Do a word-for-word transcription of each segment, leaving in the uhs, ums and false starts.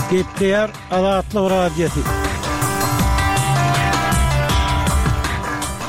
Gepleýär Azatlyk Radiosy.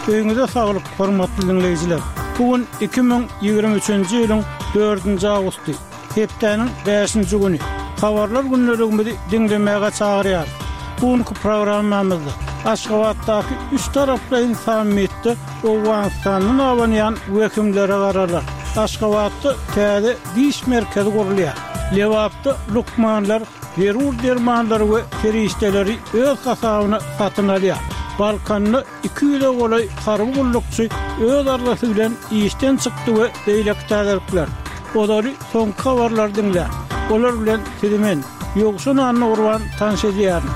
Öýüňize saglyk, hormatly diňleýjiler! Bu gün iki müň ýigrimi üçünji ýylyň dördünji awgusty, hepdäniň bäşinji güni. Habarlar gündeligimizi diňlemäge çagyrýarys. Bu günki programmamyzda Aşgabatdaky üç taraplaýyn sammitde Owganystandan abanýan wehimlere garalar. Aşgabatda täze diş merkezi gurulýar. Lebapda lukmanlar zerur dermanlary we serişdeleri öz hasabyna satyn alýar. Balkanda iki ýüze golaý harby gullukçy öz arzasy bilen işden çykdy we beýleki täzelikler. Ozaly soňky habarlary diňläň. Olar bilen sizi men, Ýowşan Annagurban tanyş edýärin.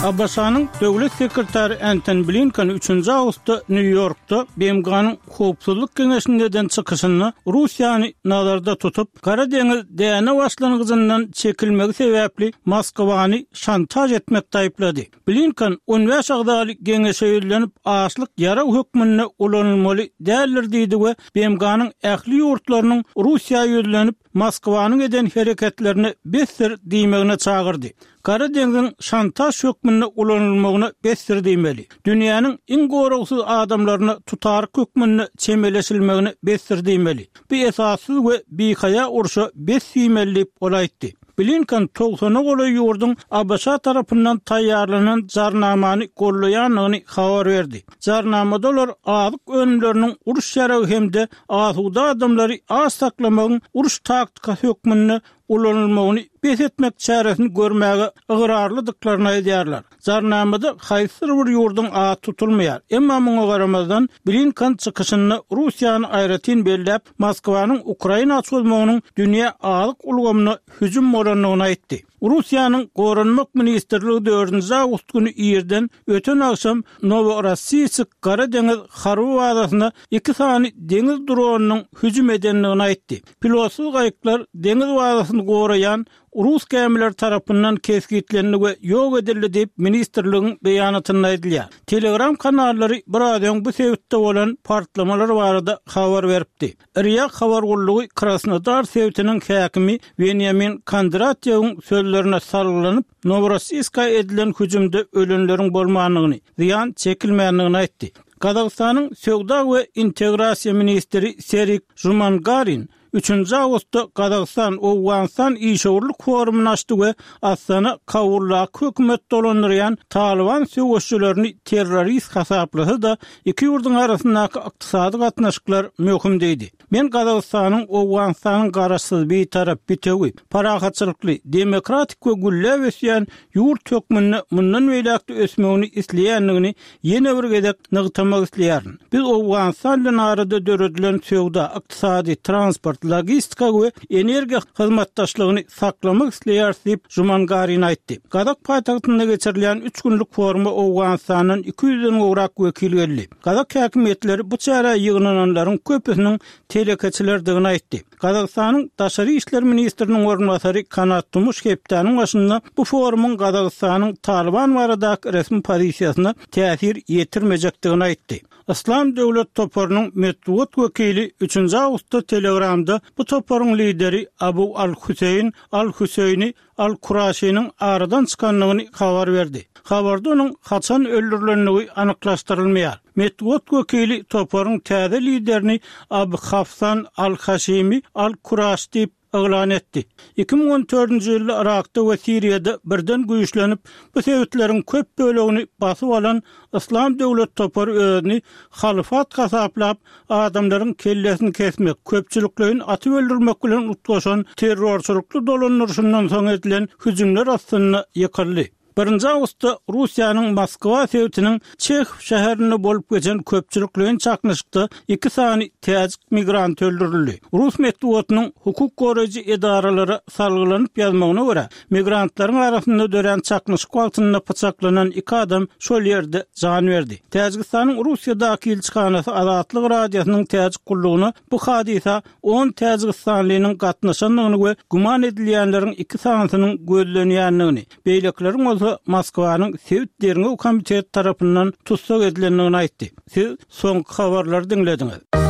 ABŞ-nyň Döwlet sekretary Entoni Blinken üçünji awgustda Nýu-Ýorkda B M G-nyň Howpsuzlyk Geňeşinde eden çykyşynda Russiýany nazarda tutup, Gara deňiz däne başlangyjyndan çekilmegi sebäpli Moskwany şantaž etmekde aýyplady. Blinken on bäş agzaly geňeşe ýüzlenip, açlyk ýarag hökmünde ulanylmaly däldir diýdi we B M G-nyň ähli ýurtlarynyň Russiýa ýüzlenip, Moskwanyň eden hereketlerine besdir diýmegine çagyrdy. Gara deňziň şantaž hökmünde ulanylmagyna besdir diýmeli. Dünýäniň iň goragsyz adamlaryna tutaryk hökmünde çemeleşilmegine besdir diýmeli. Bu esassyz we bihaýa urşa bes diýmeli diýip ol aýtdy. Blinken togsana golaý ýurduň A B Ş tarapyndan taýýarlanan jarnamany gollaýandygyny habar berdi. Jarnamada olar azyk önümleriniň uruş ýaragy hem-de asuda adamlary aç saklamagyň uruş taktikasy hökmünde ulanylmagyny bes etmek çäresini görmäge ygrarlydyklaryny aýdýarlar. Jarnamada haýsydyr bir ýurduň ady tutulmaýar. Emma muňa garamazdan Blinken çykyşynda Russiýany aýratyn belläp, Moskwanyň Ukraina çozmagynyň dünýä azyk ulgamyna hüjüm bolandygyny aýtdy. Russiýanyň Goranmak ministrligi dördünji awgust güni irden öten agşam Noworossiysk Gara deňiz harby bazasyna iki sany deňiz dronynyň hüjüm edendigini aýtdy. Pilotsyz gaýyklar deňiz bazasyny goraýan Rus gämileri tarapyndan kesgitlendi we ýok edildi diýip ministrligiň beýanatynda aýdylýar. Telegram kanallary biraz öň bu sebitde bolan partlamalar barada habar beripdi. R I A habar gullugy Krasnodar sebitiniň häkimi Benjamin Kondratýewiň sözlerine salgylanyp, Noworossiyska edilen hüjümde ölenleriň bolmandygyny, zyýan çekilmändigini aýtdy. Gazagystanyň Söwda we integrasiýa ministri Serik Žumangarin üçünji awgustda Gazagystan Owganystan işewürlik forumyny açdy we Astana Kabuldaky hökümet dolandyrýan Taliban söweşçilerini terrorist hasaplasa-da, iki ýurduň arasyndaky ykdysady gatnaşyklar möhüm diýdi. Men Gazagystanyň Owganystanyň garaşsyz bitarap, bitewi, parahatçylykly, demokratik we gülläp ösýän ýurt hökmünde mundan beýläk-de ösmegini isleýändigini ýene bir gezek nygtamak isleýärin. Biz Owganystan bilen arada döredilen söwda, ykdysady, transport, logistika we energiýa hyzmatdaşlygyny saklamak isleýäris diýip Žumangarin aýtdy. Gazak paýtagtynda geçirilýän üç günlük foruma Owganystandan iki ýüzden gowrak wekil geldi. Gazak häkimiýetleri bu çärä ýygnananlaryň köpüsiniň telekeçilerdigini aýtdy. Gazagystanyň Daşary işler ministriniň orunbasary Kanat Tumuş hepdäniň başynda bu forumyň Gazagystanyň Taliban baradaky resmi pozisiýasyna täsir ýetirmejekdigini aýtdy. Islam döwlet toparynyň metbugat wekili üçünji awgustda Telegramda bu toparyň lideri Abu Al-Hüseýin Al-Hüseýni Al-Kuraşynyň aradan çykandygyny habar berdi. Habarda onuň haçan öldürilendigi anyklaşdyrylmaýar. Metbugat wekili toparyň täze liderini Abu Hafsan Al-Haşimi Al-Kuraş diýip yglan etdi. Iki müň on dördünji ýylda Irakda we Siriýada birden güýçlenip, bu sebitleriň köp bölegini basyp alan Islam döwlet topary özüni halyfat hasaplap, adamlaryň kellesini kesmek, köpçülikleýin atyp öldürmek bilen utgaşan terrorçylykly dolandyryşyndan soň edilen hüjümler astynda ýykyldy. Birinji awgustda Russiýanyň Moskwa sebitiniň Çehow şäherinde bolup geçen köpçülikleýin çaknyşykda iki sany täjik migrant öldürildi. Rus metbugatynyň hukuk goraýjy edaralara salgylanyp ýazmagyna görä, migrantlaryň arasynda dörän çaknyşyk wagtynda pyçaklanan iki adam şol ýerde jan berdi. Täjigistanyň Russiýadaky ilçihanasy Azatlyk Radiosynyň täjik gullugyna bu hadysa on täjigistanlynyň gatnaşandygyny we güman edilýänleriň iki sanysynyň gözlenýändigini, beýlekileriň bolsa Moskwanyň sebit derňew komiteti tarapyndan tussag edilendigini aýtdy. Siz soňky habarlary diňlediňiz.